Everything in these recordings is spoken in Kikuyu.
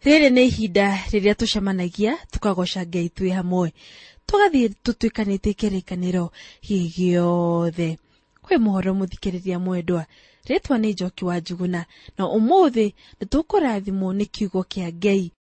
Rĩrĩ nĩ ihinda rĩrĩa tũcemanagia tũkagoca Ngai twĩ hamwe, tũgathiĩ tũtuĩkanĩtie kĩrĩkanĩro gĩothe. Kwĩ mũhoro mũthikĩrĩria mwendwa, rĩtwa nĩ Njoki wa Njuguna, na ũmũthĩ nĩ tũkũrathimwo nĩ kiugo kĩa Ngai.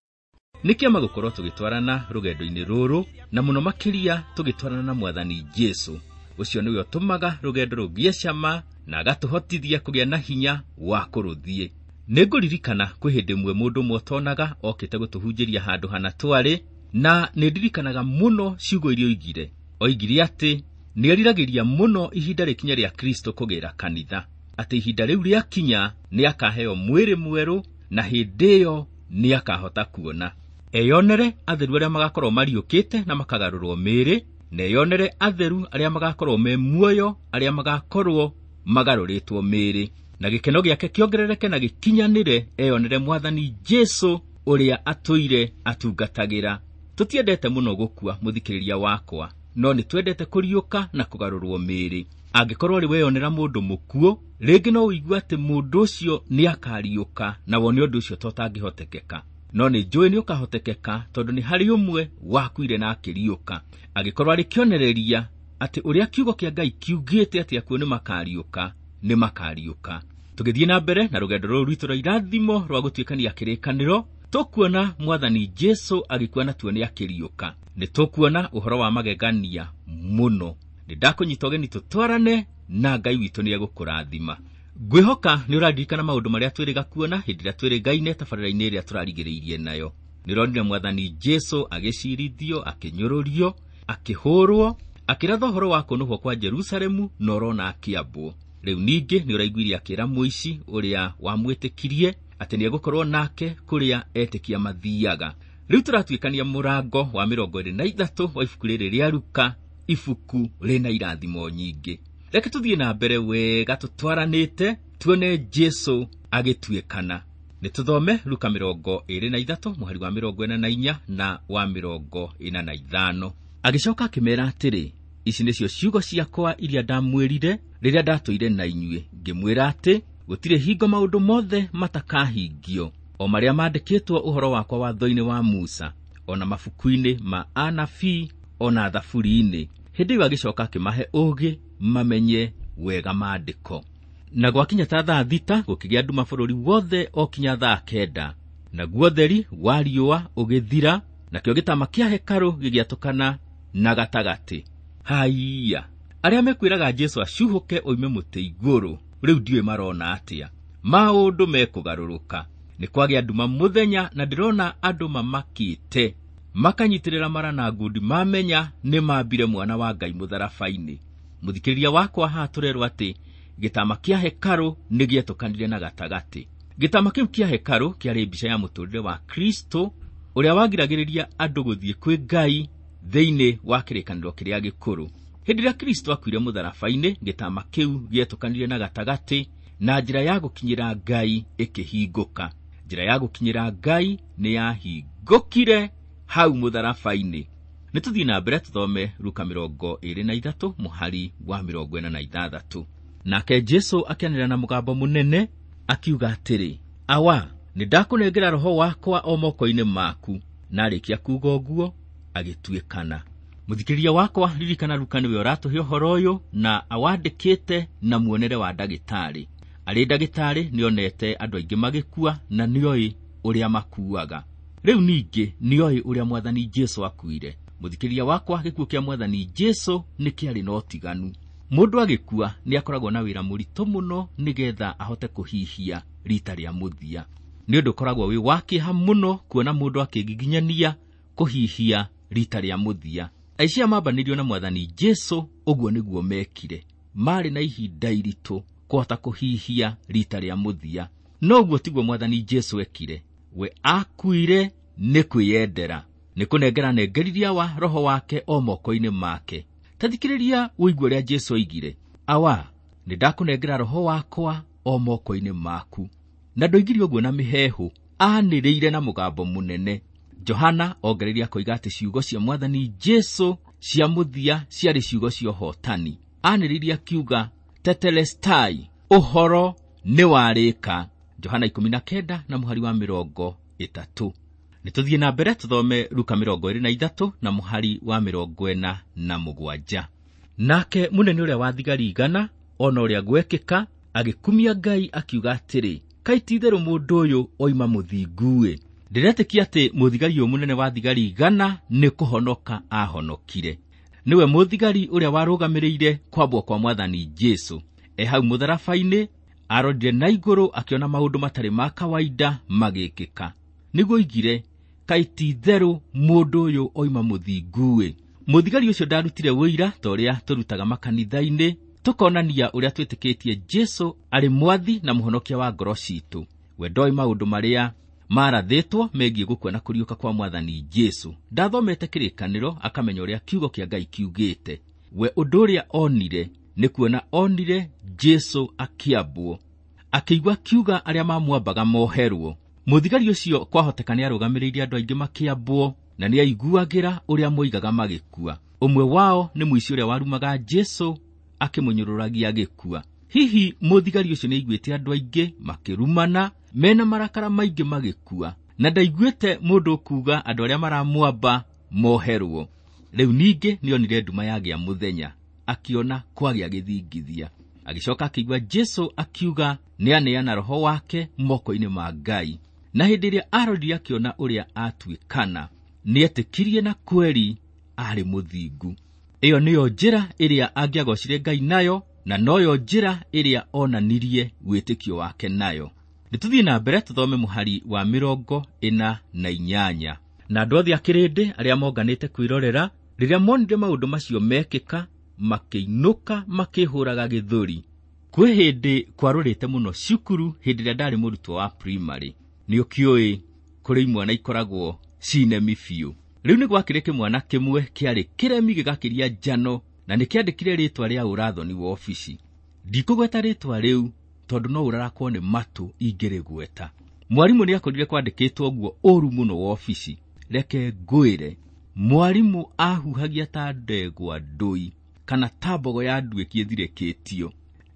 Nĩ kĩama gũkorwo tũgĩtwarana rũgendo-inĩ rũrũ, na mũno makĩria tũgĩtwarana na Mwathani Jesũ. Ũcio nĩwe ũtũmaga rũgendo rũgĩe cama na agatũhotithia kũgĩa na hinya wa kũrũthiĩ. Nĩngũririkana kwĩ hĩndĩ ĩmwe mũndũ ũmwe ũtonaga okĩte gũtũhunjĩria handũ hana twarĩ, na nĩndirikanaga mũno ciugo iria oigire. Oigire atĩ nĩeriragĩria mũno ihinda rĩkinye rĩa Kristo kũgĩra kanitha, atĩ ihinda rĩu rĩakinya nĩakaheo mwĩrĩ mwerũ na hĩndĩ ĩyo nĩakahota kuona. Eyonere atheru arĩa magakorwo mariũkĩte na makagarũrwo mĩĩrĩ, na eyonere atheru arĩa magakorwo me muoyo, arĩa magakorwo magarũrĩtwo mĩĩrĩ, na gĩkeno gĩake kĩongerereke na gĩkinyanĩre, eyonere Mwathani Jesũ ũrĩa atũire atungatagĩra. Tũtiendete mũno gũkua, mũthikĩrĩria wakwa, no nĩtwendete kũriũka na kũgarũrwo mĩĩrĩ. Angĩkorwo rĩ weyonera mũndũ mũkuũ, rĩngĩ no ũigue atĩ mũndũ ũcio nĩakariũka, na wone ũndũ ũcio to ũtangĩhotekeka. No nĩ njũĩ nĩũkahotekeka tondũ nĩ harĩ ũmwe wakuire na akĩriũka. Angĩkorwo arĩ kĩonereria atĩ ũrĩa kiugo kĩa Ngai kiugĩte atĩ akuũ nĩmakariũka, nĩmakariũka. Tũgĩthiĩ na mbere na rũgendo rũrũ rwitũ rwa irathimo rwa gũtuĩkania kĩrĩkanĩro, tũkuona Mwathani Jesũ agĩkua na tuone akĩriũka. Nĩ tũkuona ũhoro wa magegania mũno. Nĩ ndakũnyita ũgeni tũtwarane na Ngai witũ nĩegũkũrathima. Ngwĩhoka nĩ ũraririkana maũndũ marĩa twĩrĩga kuona hĩndĩ ĩrĩa twĩrĩgaine tabarĩra-inĩ ĩrĩa tũrarigĩrĩirie nayo. Nĩ ũronire Mwathani Jesũ agĩcirithio, akĩnyũrũrio, akĩhũrwo, akĩratha ũhoro wa kũnũhwo kwa Jerusalemu na ũrona akĩambwo. Rĩu ningĩ nĩ ũraiguire akĩra mũici ũrĩa wamwĩtĩkirie atĩ nĩegũkorwo nake kũrĩa etĩkia mathiaga. Rĩu tũratuĩkania mũrango wa 23 wa ibuku rĩrĩ rĩa Luka, ibuku rĩna irathimo nyingĩ. Reke tũthiĩ na mbere wega tũtwaranĩte tuone Jesũ agĩtuĩkana. Nĩ tũthome Luka 23 mũhari wa 44 na wa 45. Agĩcoka akĩmeera atĩrĩ, ici nĩcio ciugo ciakwa iria ndamwĩrire rĩrĩa ndatũire na inyuĩ, ngĩmwĩra atĩ gũtirĩ hingo maũndũ mothe matakahingio, o marĩa maandĩkĩtwo ũhoro wakwa watho-inĩ wa Musa, o na mabuku-inĩ ma anabii, o na thaburi-inĩ. Hĩndĩ ĩyo agĩcoka akĩmahe ũũgĩ mamenye wega maandĩko. Na gwakinya ta thaa 6 gũkĩgĩa nduma bũrũri wothe o kinya thaa 9, naguo ũtheri wa riũa ũgĩthira, nakĩo gĩtama kĩa hekarũ gĩgĩatũkana na gatagatĩ. Haiya, arĩa mekwĩraga Jesũ acuhũke oime mũtĩ igũrũ, rĩu ndiũĩ marona atĩa. Maũndũ mekũgarũrũka. Nĩ kwagĩa nduma mũthenya na ndĩrona andũ mamakĩte, makanyitĩrĩra mara na ngundi mamenya nĩ mambire mwana wa Ngai mũtharaba-inĩ. Mũthikĩrĩria wakwa haha tũrerwo atĩ gĩtama kĩa hekarũ nĩ gĩetũkanire na gatagatĩ. Gĩtama kĩu kĩa hekarũ kĩarĩ mbica ya mũtũrĩre wa Kristo ũrĩa wagiragĩrĩria andũ gũthiĩ kwĩ Ngai thĩinĩ wa kĩrĩkanĩro kĩrĩa gĩkũrũ. Hĩndĩ ĩrĩa Kristo akuire mũtharaba-inĩ, gĩtama kĩu gĩetũkanire na gatagatĩ na njĩra ya gũkinyĩra Ngai ĩkĩhingũka. Njĩra ya gũkinyĩra Ngai nĩ yahingũkire hau mũtharaba-inĩ. Nĩ tũthiĩ na mbere tũthome Luka 23 mũhari wa 46. Nake Jesũ akĩanĩrĩra na mũgambo mũnene akiuga atĩrĩ, Awa, nĩ ndakũnengera roho wakwa o moko-inĩ maku. Na arĩkia kuuga ũguo agĩtuĩkana. Mũthikĩrĩria wakwa, ririkana Luka nĩwe ũratũhe ũhoro ũyũ na awandĩkĩte na muonere wa ndagĩtarĩ. Arĩ ndagĩtarĩ nĩonete andũ aingĩ magĩkua na nĩoĩ ũrĩa makuaga. Rĩu ningĩ nĩoĩ ũrĩa Mwathani Jesũ akuire. Mũthikĩrĩria wakwa, gĩkuũ kĩa Mwathani Jesũ nĩ kĩarĩ na ũtiganu. Mũndũ agĩkua nĩ akoragwo na wĩra mũritũ mũno nĩgetha ahote kũhihia rita rĩa mũthia. Nĩ ũndũ ũkoragwo wĩ wa kĩeha mũno kuona mũndũ akĩngiginyania kũhihia rita rĩa mũthia. Aici aya mambanĩirio na Mwathani Jesũ, ũguo nĩguo mekire. Marĩ na ihinda iritũ kũhota kũhihia rita rĩa mũthia. No ũguo tiguo Mwathani Jesũ ekire. We akuire nĩ kwĩyendera, nĩ kũnengera anengeririe wa roho wake o moko-inĩ make. Ta thikĩrĩria ũigue ũrĩa Jesũ oigire, Awa, nĩ ndakũnengera roho wakwa o moko-inĩ maku. Na ndoigire ũguo na mĩheehũ, anĩrĩire na mũgambo mũnene. Johana ongereire akoiga atĩ ciugo cia Mwathani Jesũ cia mũthia ciarĩ ciugo cia ũhootani. Anĩrĩire akiuga, Tetelestai, ũhoro nĩ warĩka. Johana 19 na mũhari wa 30. Nĩ tũthiĩ na mbere tũthome Luka 23 na mũhari wa 47. Nake mũnene ũrĩa wa thigari 100 ona ũrĩa gwekĩka agĩkumia Ngai akiuga atĩrĩ, kaĩ ti-itherũ mũndũ ũyũ oima mũthingu-ĩ. Ndĩretĩkia atĩ mũthigari ũyũ mũnene wa thigari 100 nĩ kũhonoka ahonokire. Nĩwe mũthigari ũrĩa warũgamĩrĩire kwambwo kwa Mwathani Jesũ. E hau mũtharaba-inĩ arorire na igũrũ akĩona maũndũ matarĩ ma kawaida magĩkĩka. Nĩguo oigire, kaĩ ti-itherũ mũndũ ũyũ oima mũthingu-ĩ. Mũthigari ũcio ndarutire ũira ta ũrĩa tũrutaga makanitha-inĩ, tũkonania ũrĩa twĩtĩkĩtie Jesũ arĩ mwathi na mũhonokia wa ngoro citũ. We ndoĩ maũndũ marĩa marathĩtwo megiĩ gũkua na kũriũka kwa Mwathani Jesũ. Ndathomete kĩrĩkanĩro akamenya ũrĩa kiugo kĩa Ngai kiugĩte. We ũndũ ũrĩa onire nĩ kuona onire Jesũ akĩambwo, akĩigua kiuga arĩa mamwambaga moherwo. Mũthigari ũcio kwahoteka nĩarũgamĩrĩire andũ aingĩ makĩambwo na nĩaiguagĩra ũrĩa moigaga magĩkua. Ũmwe wao nĩ mũici ũrĩa warumaga Jesũ akĩmũnyũrũragia agĩkua. Hihi mũthigari ũcio nĩaiguĩte andũ aingĩ makĩrumana mena marakara maingĩ magĩkua, na ndaiguĩte mũndũ ũkuuga andũ arĩa maramwamba moherwo. Rĩu ningĩ nĩonire nduma yagĩa mũthenya, akĩona kwagĩa gĩthingithia. Agĩcoka akĩigua Jesũ akiuga nĩaneana roho wake moko-inĩ ma Ngai. Na hĩndĩ ĩrĩa arorire akĩona ũrĩa atuĩkana, nĩetĩkirie na kweri arĩ mũthingu. Ĩyo nĩyo njĩra ĩrĩa angĩagocire Ngai nayo, na noyo njĩra ĩrĩa onanirie wĩtĩkio wake nayo. Nĩ tũthiĩ na mbere tũthome mũhari wa 48. Na andũ othe a kĩrĩndĩ arĩa monganĩte kwĩrorera, rĩrĩa monire maũndũ macio mekĩka, makĩinũka makĩhũraga gĩthũri. Kwĩ hĩndĩ kwarũrĩte mũno cukuru hĩndĩ ĩrĩa ndarĩ mũrutwo wa primary. Nĩ ũkĩũĩ kũrĩ imwana ikoragwo cinemi biũ. Rĩu nĩ gwakĩrĩ kĩmwana kĩmwe kĩarĩ kĩremi gĩgakĩria njano, na nĩkĩandĩkire rĩtwa rĩa ũrathoni wa obici. Ndikũgweta rĩtwa rĩu tondũ no ũrarakwo nĩ matũ ingĩrĩgweta. Mwarimũ nĩakorire kwandĩkĩtwo ũguo ũru mũno wa obici. Reke ngwĩre, mwarimũ ahuhagia ta ndegwa ndũi kana ta mbogo ya nduĩki ĩthirĩkĩtio.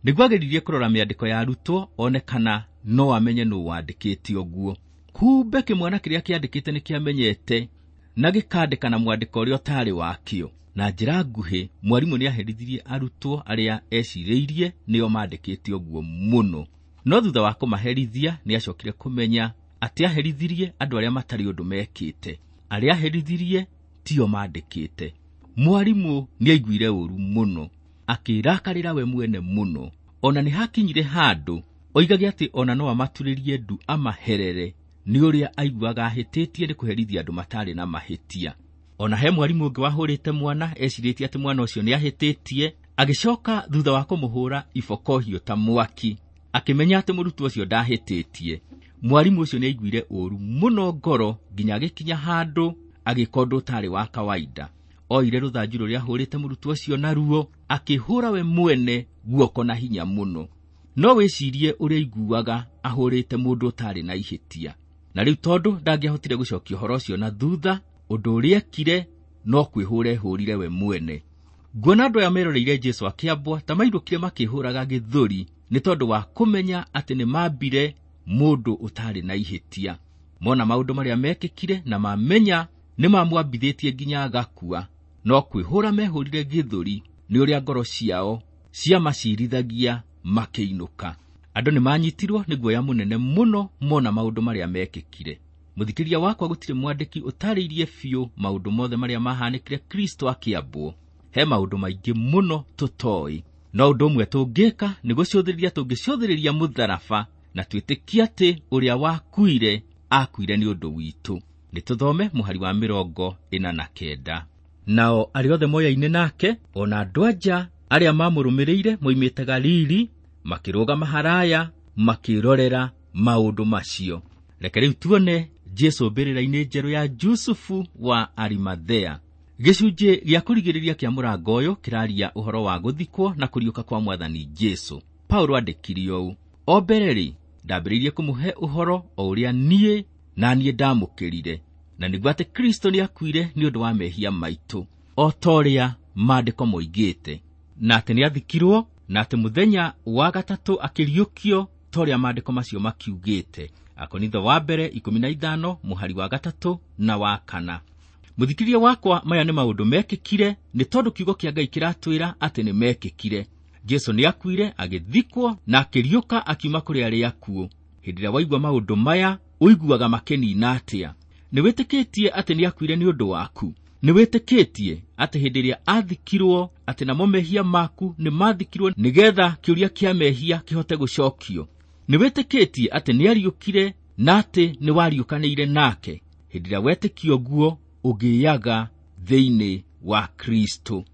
Nĩguo ageririe kũrora mĩandĩko ya arutwo one kana no amenye nũ wandĩkĩte ũguo. Kumbe kĩmwana kĩrĩa kĩandĩkĩte nĩkĩamenyete na gĩkandĩka na mwandĩko ũrĩa ũtarĩ wakĩo. Na njĩra nguhĩ, mwarimũ nĩaherithirie arutwo arĩa ecirĩirie nĩo mandĩkĩte ũguo mũno. No thutha wa kũmaherithia nĩacokire kũmenya atĩ aherithirie andũ arĩa matarĩ ũndũ mekĩte. Arĩa aherithirie tio mandĩkĩte. Mwarimũ nĩaiguire ũru mũno, akĩrakarĩra we mwene mũno. Ona nĩhakinyire handũ oigage atĩ ona no amaturĩrie ndu amaherere nĩ ũrĩa aiguaga ahĩtĩtie nĩ kũherithia andũ matarĩ na mahĩtia. Ona he mwarimũ ũngĩ wahũrĩte mwana ecirĩtie atĩ mwana ũcio nĩahĩtĩtie, agĩcoka thutha wa kũmũhũra iboko hiũ ta mwaki, akĩmenya atĩ mũrutwo ũcio ndahĩtĩtie. Mwarimũ ũcio nĩaiguire ũru mũno ngoro nginya agĩkinya handũ agĩka ũndũ ũtarĩ wa kawaida. Oire rũthanju rũrĩa ahũrĩte mũrutwo ũcio naruo, akĩhũra we mwene guoko na hinya mũno. No wĩcirie ũrĩa aiguaga ahũrĩte mũndũ ũtarĩ na ihĩtia. Na rĩu tondũ ndangĩahotire gũcokia ũhoro ũcio na thutha, ũndũ ũrĩa ekire no kwĩhũra ehũrire we mwene. Nguona andũ aya meroreire Jesũ akĩambwo ta mairũkire makĩhũraga gĩthũri nĩ tondũ wa kũmenya atĩ nĩmambire mũndũ ũtarĩ na ihĩtia. Mona maũndũ marĩa mekĩkire na mamenya nĩmamwambithĩtie nginya agakua, no kwĩhũra mehũrire gĩthũri nĩ ũrĩa ngoro ciao ciamacirithagia makĩinũka. Andũ nĩmanyitirwo nĩ guoya mũnene mũno mona maũndũ marĩa mekĩkire. Mũthikĩria wakwa, gũtirĩ mwandĩki ũtarĩirie biũ maũndũ mothe marĩa mahanĩkire Kristo akĩambwo. He maũndũ maingĩ mũno tũtoĩ. No ũndũ ũmwe tũngĩka nĩ gũcũthĩrĩria tũngĩcũthĩrĩria mũtharaba na twĩtĩkie atĩ ũrĩa wakuire akuire nĩ ũndũ witũ. Nĩ tũthome mũhari wa 49. Nao arĩa othe moyaine nake, ona andũ anja arĩa mamũrũmĩrĩire moimĩte Galili, makĩrũgama haraya makĩrorera maũndũ macio. Reke rĩu tuone Jesũ mbĩrĩra-inĩ njerũ ya Jusufu wa Arimathea. Gĩcunjĩ gĩa kũrigĩrĩria kĩa mũrango ũyũ kĩraria ũhoro wa gũthikwo na kũriũka kwa Mwathani Jesũ. Paulo andĩkire ũũ: o mbere-rĩ, ndambĩrĩirie kũmũhe ũhoro o ũrĩa niĩ na niĩ ndamũkĩrire, na nĩguo atĩ Kristo nĩakuire nĩ ũndũ wa mehia maitũ, o ta ũrĩa maandĩko moigĩte, na atĩ nĩathikirwo, na atĩ mũthenya wa gatatũ akĩriũkio ta ũrĩa maandĩko macio makiugĩte. Akorintho wa mbere 15 mũhari wa 3 na wa 4. Mũthikĩrĩria wakwa, maya nĩ maũndũ mekĩkire nĩ tondũ kiugo kĩa Ngai kĩratwĩra atĩ nĩ mekĩkire. Jesũ nĩakuire, agĩthikwo na akĩriũka akiuma kũrĩ arĩa akuũ. Hĩndĩ ĩrĩa waigua maũndũ maya, ũiguaga makĩnina atĩa? Nĩwĩtĩkĩtie atĩ nĩakuire nĩ ũndũ waku? Nĩwĩtĩkĩtie atĩ hĩndĩ ĩrĩa athikirwo atĩ namo mehia maku nĩmathikirwo nĩgetha kĩũria kĩa mehia kĩhote gũcokio? Nĩwĩtĩkĩtie atĩ nĩariũkire na atĩ nĩwariũkanĩire nake? Hĩndĩ ĩrĩa wetĩkia ũguo, ũgĩaga thĩinĩ wa Kristo.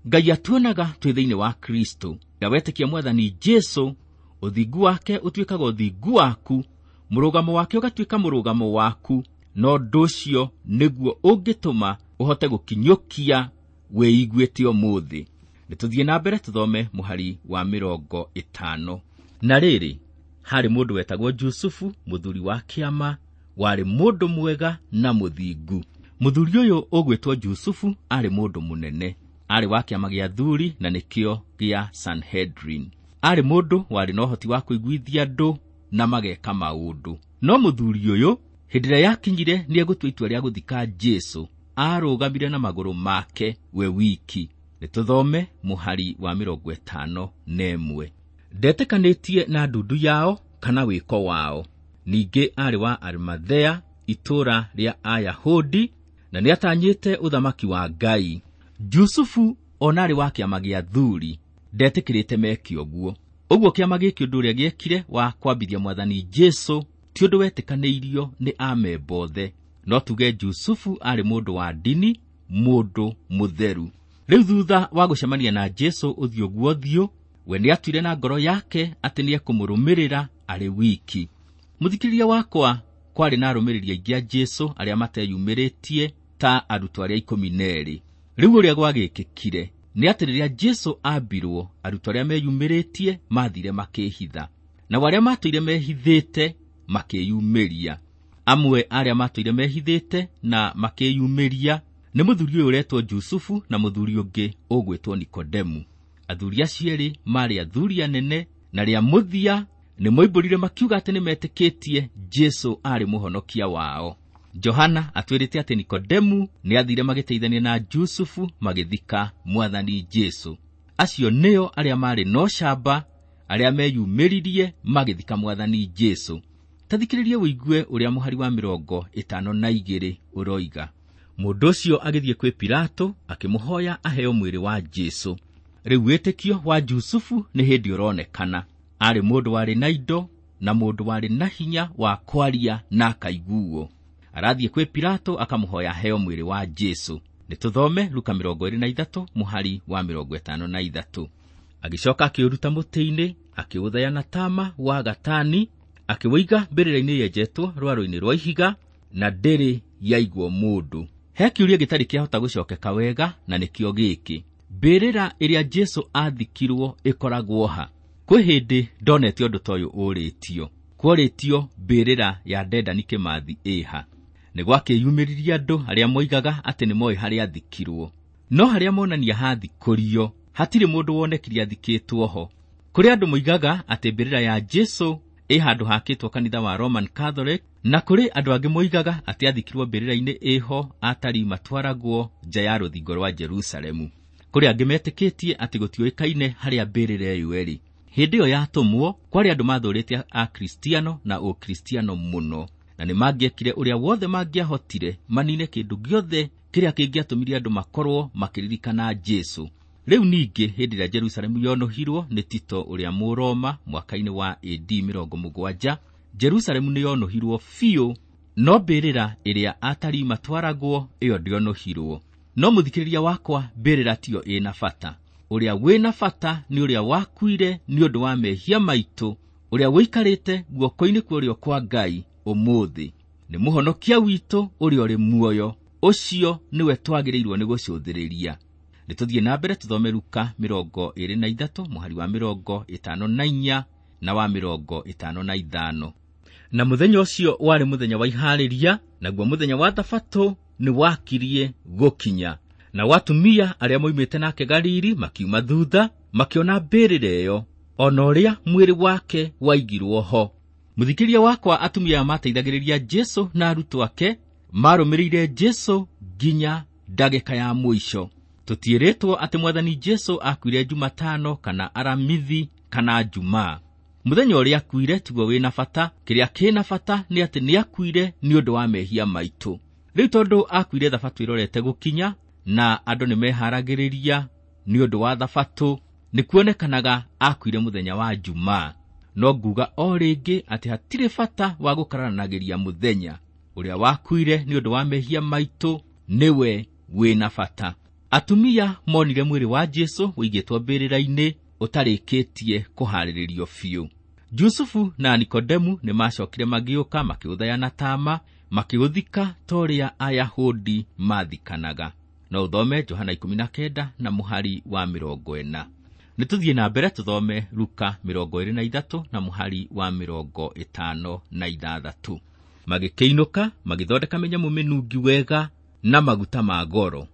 Ngai atuonaga twĩ thĩinĩ wa Kristo. Rĩrĩa wetĩkia Mwathani Jesũ, ũthingu wake ũtuĩkaga ũthingu waku, mũrũgamo wake ũgatuĩka mũrũgamo waku, na ũndũ ũcio nĩguo ũngĩtũma ũhote gũkinyũkia wĩiguĩte ũmũthĩ. Nĩtũthiĩ na mbere tũthome mũhari wa 50. Na rĩrĩ, harĩ mũndũ wetagwo Jusufu, mũthuri wa kĩama, warĩ mũndũ mwega na mũthingu. Mũthuri ũyũ ũgwĩtwo Jusufu arĩ mũndũ mũnene, arĩ wa kĩama gĩa athuri na nĩkĩo gĩa Sanhedrin. Arĩ mũndũ warĩ na ũhoti wa kũiguithia andũ na mageka maũndũ. No mũthuri ũyũ hĩndĩ ĩrĩa yakinyire nĩegũtua itua rĩa gũthika Jesũ, arũgamire na magũrũ make we wiki. Nĩtũthome mũhari wa 51. Ndetĩkanĩtie na ndundu yao kana wĩko wao. Ningĩ arĩ wa Arimathea, itũũra rĩa Ayahudi, na nĩatanyĩte ũthamaki wa Ngai. Jusufu ona arĩ wa kĩama gĩa athuri ndetĩkĩrĩte meke ũguo. Ũguo kĩama gĩkĩ ũndũ ũrĩa gĩekire wa kwambithia Mwathani Jesũ ti ũndũ wetĩkanĩirio nĩ amemba othe. No tuge Jusufu arĩ mũndũ wa ndini, mũndũ mũtheru. Rĩu thutha wa gũcemania na Jesũ ũthiũ guo ũthiũ, we nĩatuire na ngoro yake atĩ nĩekũmũrũmĩrĩra arĩ wiki. Mũthikĩrĩria wakwa, kwarĩ na arũmĩrĩri aingĩ a Jesũ arĩa mateyumĩrĩtie ta arutwo arĩa 12. Rĩu ũrĩa gwagĩkĩkire nĩ atĩ rĩrĩa Jesũ ambirwo, arutwo arĩa meyumĩrĩtie mathire makĩhitha, nao arĩa matũire mehithĩte makĩyumĩria. Amwe arĩa matũire mehithĩte na makĩyumĩria nĩ mũthuri ũyũ ũretwo Jusufu na mũthuri ũngĩ ũgwĩtwo Nikodemu. Athuri acio erĩ maarĩ athuri anene, na rĩa mũthia nĩmoimbũrire makiuga atĩ nĩmetĩkĩtie Jesũ arĩ mũhonokia wao. Johana atwĩrĩte atĩ Nikodemu nĩathire magĩteithania na Jusufu magĩthika Mwathani Jesũ. Acio nĩo arĩa maarĩ na ũcamba, arĩa meyumĩririe magĩthika Mwathani Jesũ. Ta thikĩrĩria ũigue ũrĩa mũhari wa 52 ũroiga. Mũndũ ũcio agĩthiĩ kwĩ Pilato akĩmũhoya aheo mwĩrĩ wa Jesũ. Rĩu wĩtĩkio wa Jusufu nĩ hĩndĩ ũronekana. Arĩ mũndũ warĩ na indo na mũndũ warĩ na hinya wa kwaria na akaiguo. Arathiĩ kwĩ Pilato akamũhoya aheo mwĩrĩ wa Jesũ. Nĩtũthome Luka 23 mũhari wa 53. Agĩcoka akĩũruta mũtĩ-inĩ, akĩũthaya na tama wa gatani, akĩwĩiga mbĩrĩra-inĩ yenjetwo rwaro-inĩ rwa ihiga, na ndĩrĩ yaigwo mũndũ. He kĩũria gĩtarĩ kĩahota gũcokeka wega, na nĩkĩo gĩkĩ: mbĩrĩra ĩrĩa Jesũ athikirwo ĩkoragwo ha? Kwĩ hĩndĩ ndonete ũndũ ta ũyũ ũrĩtio. Kworĩtio mbĩrĩra ya Dedan Kĩmathi ĩha. Nĩ gwakĩyumĩririe andũ arĩa moigaga atĩ nĩmoĩ harĩa athikirwo, no harĩa monania hathikũrio hatirĩ mũndũ wonekire athikĩtwo ho. Kũrĩ andũ moigaga atĩ mbĩrĩra ya Jesũ ĩ handũ hakĩtwo kanitha wa Roman Catholic, na kũrĩ andũ angĩ moigaga atĩ athikirwo mbĩrĩra-inĩ ĩho atarii matwaragwo nja ya rũthingo rwa Jerusalemu. Kũrĩ angĩ metĩkĩtie atĩ gũtiũĩkaine harĩa mbĩrĩra ĩyo ĩrĩ. Hĩndĩ ĩyo yatũmwo kwarĩ andũ mathũrĩte Akristiano na Ũkristiano mũno, na nĩmangĩekire ũrĩa wothe mangĩahotire manine kĩndũ gĩothe kĩrĩa kĩngĩatũmire andũ makorwo makĩririkana Jesũ. Rĩu ningĩ hĩndĩ ĩrĩa Jerusalemu yonũhirwo nĩ Tito ũrĩa Mũroma mwaka-inĩ wa AD 70, Jerusalemu nĩyonũhirwo biũ, no mbĩrĩra ĩrĩa atarii matwaragwo ĩyo ndĩonũhirwo. No mũthikĩrĩria wakwa, mbĩrĩra tiyo ĩna bata. Ũrĩa wĩna bata nĩ ũrĩa wakuire nĩ ũndũ wa mehia maitũ, ũrĩa wĩikarĩte guoko-inĩ kwa ũrĩo kwa Ngai ũmũthĩ. Nĩ mũhonokia witũ ũrĩa ũrĩ muoyo, ũcio nĩwe twagĩrĩirwo nĩ gũcũthĩrĩria. Nĩtũthiĩ na mbere tũthome Luka 23 mũhari wa 54 na wa 55. Na mũthenya ũcio warĩ mũthenya wa iharĩria, naguo mũthenya wa Thabatũ nĩwakirie gũkinya. Nao atumia arĩa moimĩte nake Galili makiuma thutha, makĩona mbĩrĩra ĩyo, ona ũrĩa mwĩrĩ wake waigirwo ho. Mũthikĩria wakwa, atumia aya mateithagĩrĩria Jesu na arutwo ake marũmĩrĩire Jesu nginya ndagĩka ya mũico. Tũtiĩrĩtwo atĩ Mwathani Jesu akuire Jumatano kana Aramithi kana Jumaa. Mũthenya ũrĩa akuire tiguo wĩna bata, kĩrĩa kĩna bata nĩ atĩ nĩakuire nĩ ũndũ wa mehia maitũ. Rĩu tondũ akuire thabatũ ĩrorete gũkinya na andũ nĩmeharagĩrĩria nĩ ũndũ wa thabatũ, nĩkuonekanaga akuire mũthenya wa Jumaa. No nguga o rĩngĩ atĩ hatirĩ bata wa gũkararanagĩria mũthenya. Ũrĩa wakuire nĩ ũndũ wa mehia maitũ nĩwe wĩna bata. Atumia monire mwĩrĩ wa Jesu ũigĩtwo mbĩrĩra-inĩ ũtarĩkĩtie kũharĩrĩrio biũ. Jusufu na Nikodemu nĩmacokire magĩũka makĩũthaya na tama makĩũthika ta ũrĩa Ayahudi mathikanaga. No ũthome Johana 19 na mũhari wa 40. Nĩtũthiĩ na mbere tũthome Luka 23 na mũhari wa 56. Magĩkĩinũka magĩthondeka mĩnyamũ mĩnungi wega na maguta ma goro.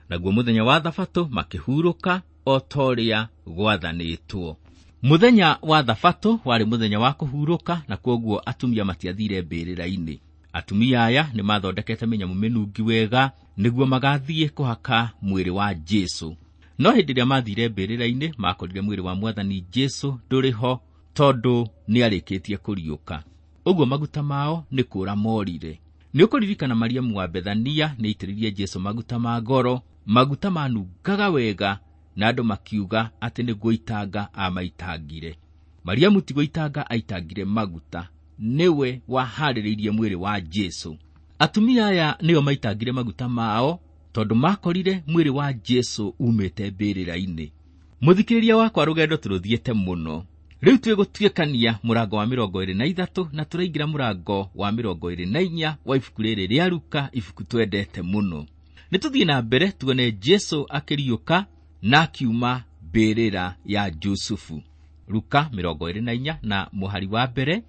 Naguo mũthenya wa thabatũ makĩhurũka o ta ũrĩa gwathanĩtwo. Mũthenya wa thabatũ warĩ mũthenya wa kũhurũka, na kwoguo atumia matiathire mbĩrĩra-inĩ. Atumia aya nĩmathondekete mĩnyamũ mĩnungi wega nĩguo magathiĩ kũhaka mwĩrĩ wa Jesu. No hĩndĩ ĩrĩa mathire mbĩrĩra-inĩ makorire mwĩrĩ wa Mwathani Jesu ndũrĩ ho, tondũ nĩarĩkĩtie kũriũka. Ũguo maguta mao nĩ kũra morire. Nĩũkũririkana Mariamu wa Bethania nĩaitĩrĩirie Jesu maguta ma goro, maguta manungaga wega, na andũ makiuga atĩ nĩ gũitanga amaitangire. Mariamu ti gũitanga aitangire maguta, nĩwe waharĩrĩirie mwĩrĩ wa Jesu. Atumia aya nĩo maitangire maguta mao tondũ makorire mwĩrĩ wa Jesu umĩte mbĩrĩra-inĩ. Mũthikĩrĩria wakwa, rũgendo tũrũthiĩte mũno. Rĩu twĩgũtuĩkania mũrango wa 23 na tũraingĩra mũrango wa 24 wa ibuku rĩrĩ rĩa Luka, ibuku twendete mũno. Nĩtũthiĩ na mbere tuone Jesu akĩriũka na akiuma mbĩrĩra ya Jusufu. Luka 24 na mũhari wa mbere.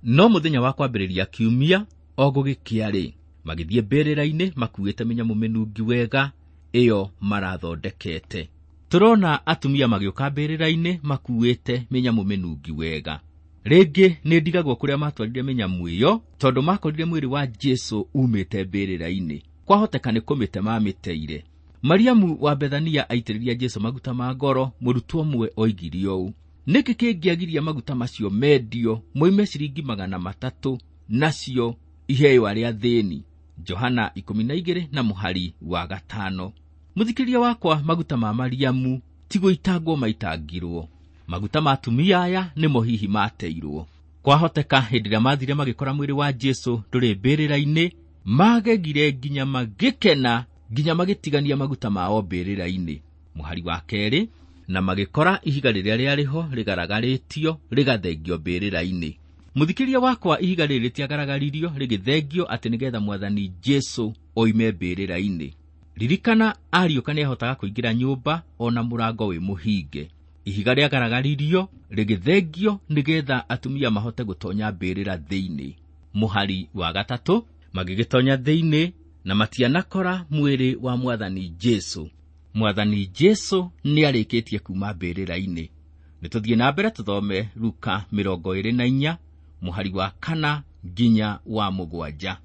No mũthenya wa kwambĩrĩria kiumia o gũgĩkĩa-rĩ, magĩthiĩ mbĩrĩra-inĩ makuĩte mĩnyamũ mĩnungi wega ĩyo marathondekete. Tũrona atumia magĩũka mbĩrĩra-inĩ makuĩte mĩnyamũ mĩnungi wega. Rĩngĩ nĩ ndigagwo kũrĩa matwarire mĩnyamũ ĩyo, tondũ makorire mwĩrĩ wa Jesu umĩte mbĩrĩra-inĩ. Kwahoteka nĩ kũmĩte mamĩteire. Mariamu wa Bethania aitĩrĩria Jesu maguta ma goro, mũrutwo ũmwe oigire ũũ: nĩkĩ kĩngĩagiria maguta macio mendio moime ciringi 300 nacio iheo arĩa athĩni? Johana 12 na mũhari wa 5. Mũthikĩrĩria wakwa, maguta ma Mariamu ti gũitangwo maitangirwo. Maguta ma atumia aya nĩmo hihi mateirwo. Kwahoteka hĩndĩ ĩrĩa mathire magĩkora mwĩrĩ wa Jesu ndũrĩ mbĩrĩra-inĩ, magegire nginya magĩkena, nginya magĩtigania maguta mao mbĩrĩra-inĩ. Mũhari wa 2, na magĩkora ihiga rĩrĩa rĩarĩ ho rĩgaragarĩtio rĩgathengio mbĩrĩra-inĩ. Mũthikĩrĩria wakwa, ihiga rĩrĩ rĩtiagaragaririo rĩgĩthengio atĩ nĩgetha Mwathani Jesu oime mbĩrĩra-inĩ. Ririkana, ariũka nĩahotaga kũingĩra nyũmba ona mũrango wĩ mũhinge. Ihiga rĩagaragaririo rĩgĩthengio nĩgetha atumia mahote gũtonya mbĩrĩra thĩinĩ. Mũhari wa 3, magĩgĩtonya thĩinĩ na matianakora mwĩrĩ wa Mwathani Jesu. Mwathani Jesu nĩarĩkĩtie kuma mbĩrĩra-inĩ. Nĩtũthiĩ na mbere tũthome Luka 24 mũhari wa 4 nginya wa 7.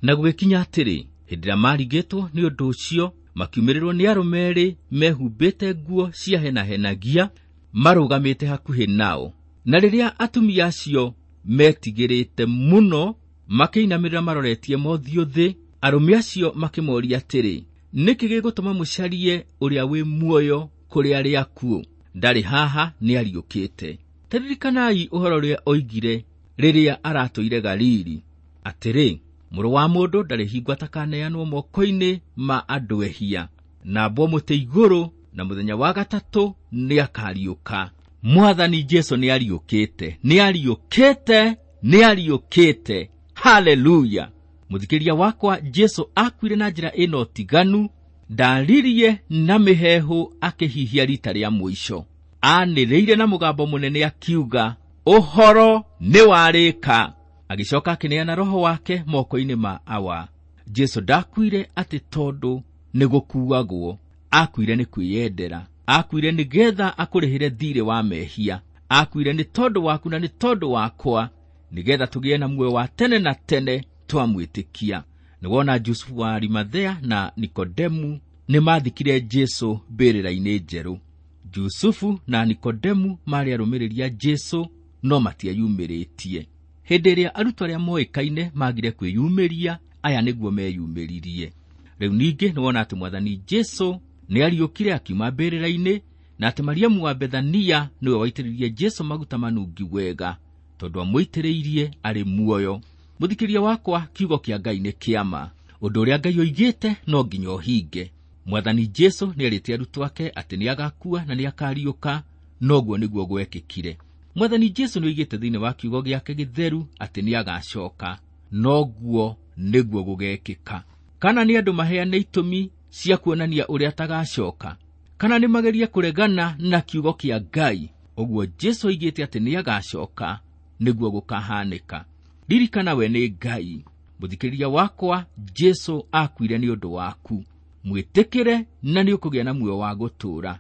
Na gũgĩkinya atĩrĩ, hĩndĩ ĩrĩa marigĩtwo nĩ ũndũ ũcio, makiumĩrĩrwo nĩ arũme erĩ mehumbĩte nguo ciahenahenagia marũgamĩte hakuhĩ nao. Na rĩrĩa atumia acio metigĩrĩte mũno, makĩinamĩrĩra maroretie mothiũ thĩ, arũme acio makĩmoria atĩrĩ, nĩkĩ gĩgũtũma mũcarie ũrĩa wĩ muoyo kũrĩ arĩa akuũ? Ndarĩ haha, nĩariũkĩte. Ta ririkanai ũhoro ũrĩa oigire rĩrĩa aratũire Galili, atĩrĩ, mũrũ wa mũndũ ndarĩ hingo atakaneanwo moko-inĩ ma andũ ehia, na ambwo mũtĩ igũrũ, na mũthenya wa 3 nĩakariũka. Mwathani Jesu nĩariũkĩte, nĩariũkĩte, nĩariũkĩte. Haleluya! Mũthikĩrĩria wakwa, Jesu akuire na njĩra ĩna ũtiganu, ndaririe na mĩheehũ akĩhihia rita rĩa mũico. Anĩrĩire na mũgambo mũnene akiuga, ũhoro nĩwarĩka. Agĩcoka akĩneana roho wake moko-inĩ ma Awa. Jesu ndakuire atĩ tondũ nĩ gũkuagwo, akuire nĩ kwĩyendera, akuire nĩgetha akũrĩhĩre thirĩ wa mehia, akuire nĩ tondũ waku na nĩ tondũ wakwa, nĩgetha tũgĩe na muoyo wa tene na tene twamwĩtĩkia. Nĩwona Jusufu wa Arimathea na Nikodemu nĩmathikire Jesũ mbĩrĩra-inĩ njerũ. Jusufu na Nikodemu maarĩ arũmĩrĩri a Jesũ no matieyumĩrĩtie. Hĩndĩ ĩrĩa arutwo arĩa moĩkaine magire kwĩyumĩria, aya nĩguo meyumĩririe. Rĩu ningĩ nĩwona atĩ Mwathani Jesũ nĩariũkire akiuma mbĩrĩra-inĩ, na atĩ Mariamu wa Bethania nĩwe waitĩrĩirie Jesũ maguta manungi wega, tondũ amũitĩrĩirie arĩ muoyo. Mũthikĩria wakwa, kiugo kĩa Ngai nĩ kĩama. Ũndũ ũrĩa Ngai oigĩte no nginya ũhinge. Mwathani Jesũ nĩerĩte arutwo ake atĩ nĩagakua na nĩakariũka, noguo nĩguo gwekĩkire. Mwathani Jesũ nĩoigĩte thĩinĩ wa kiugo gĩake gĩtheru atĩ nĩagacoka, noguo nĩguo gũgekĩka. Kana nĩ andũ maheane itũmi cia kuonania ũrĩa atagacoka, kana nĩ magerie kũregana na kiugo kĩa Ngai, ũguo Jesũ oigĩte atĩ nĩagacoka nĩguo gũkahanĩka. Ririkana we nĩ Ngai. Mũthikĩrĩria wakwa, Jesũ akuire nĩ ũndũ waku. Mwĩtĩkĩre na nĩũkũgĩa na muoyo wa gũtũũra.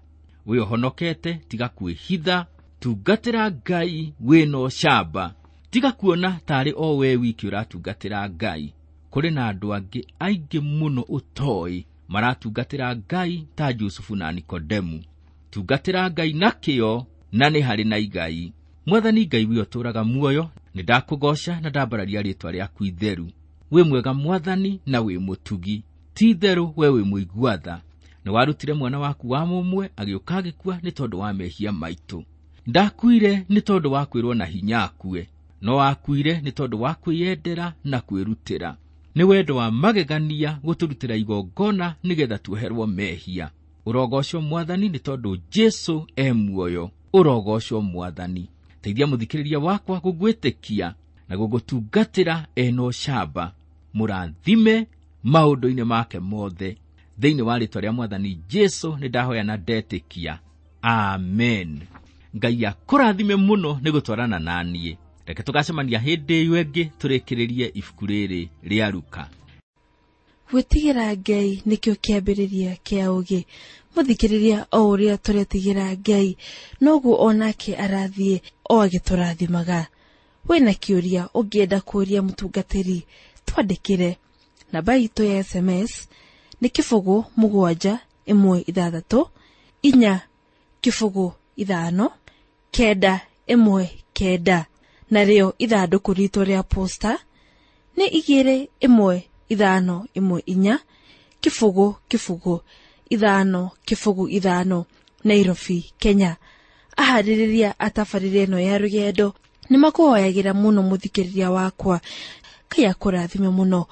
Wĩ ũhonokete, tiga kwĩhitha, tungatĩra Ngai wĩna ũcamba. Tiga kuona tarĩ o we wiki ũratungatĩra Ngai. Kũrĩ na andũ angĩ aingĩ mũno ũtoĩ maratungatĩra Ngai ta Jusufu na Nikodemu. Tungatĩra Ngai na kĩyo na nĩ harĩ na igai. Mwathani Ngai wĩ ũtũũraga muoyo, nĩndakũgooca na ndambararia rĩĩtwa rĩaku itheru. Wĩ mwega Mwathani na wĩ mũtugi. Ti itherũ we wĩ mũigua tha. Nĩwarutire mwana waku wa mũmwe agĩũka agĩkua nĩ tondũ wa mehia maitũ. Ndakuire nĩ tondũ wa kwĩrwo na hinya akue, no akuire nĩ tondũ wa kwĩyendera na kwĩrutĩra. Nĩ wendo wa magegania gũtũrutĩra igongona nĩgetha tuoherwo mehia. Ũrogocwo Mwathani nĩ tondũ Jesũ e muoyo. Ũrogocwo Mwathani. Teithia mũthikĩrĩria wakwa gũgwĩtĩkia na gũgũtungatĩra ena ũcamba. Mũrathime maũndũ-inĩ make mothe. Thĩinĩ wa rĩĩtwa rĩa Mwathani Jesũ nĩndahoya na ndetĩkia. Amen. Ngai akũrathime mũno nĩ gũtwarana na niĩ. Reke tũgacemania hĩndĩ ĩyo ĩngĩ tũrĩkĩrĩrie ibuku rĩrĩ rĩa Luka. Gwĩtigĩra Ngai nĩkĩo kĩambĩrĩria kĩa ũũgĩ. Mũthikĩrĩria o ũrĩa tũretigĩra Ngai, noguo onake arathiĩ o agĩtũrathimaga. Wĩna kĩũria ũngĩenda kũũria mũtungatĩri, twandĩkĩre. Namba itũ ya SMS nĩ 0 7 1 6 4 0 5 9 1 9, narĩo ithandũkũ ritũ rĩa posta nĩ 2 1 5 1 4 0 0 5 0 5, Nairobi, Kenya. Aharĩrĩria a tabarĩra ĩno ya rũgendo nĩ makũhoyagĩra mũno mũthikĩrĩria wakwa. Ngai akũrathime mũno.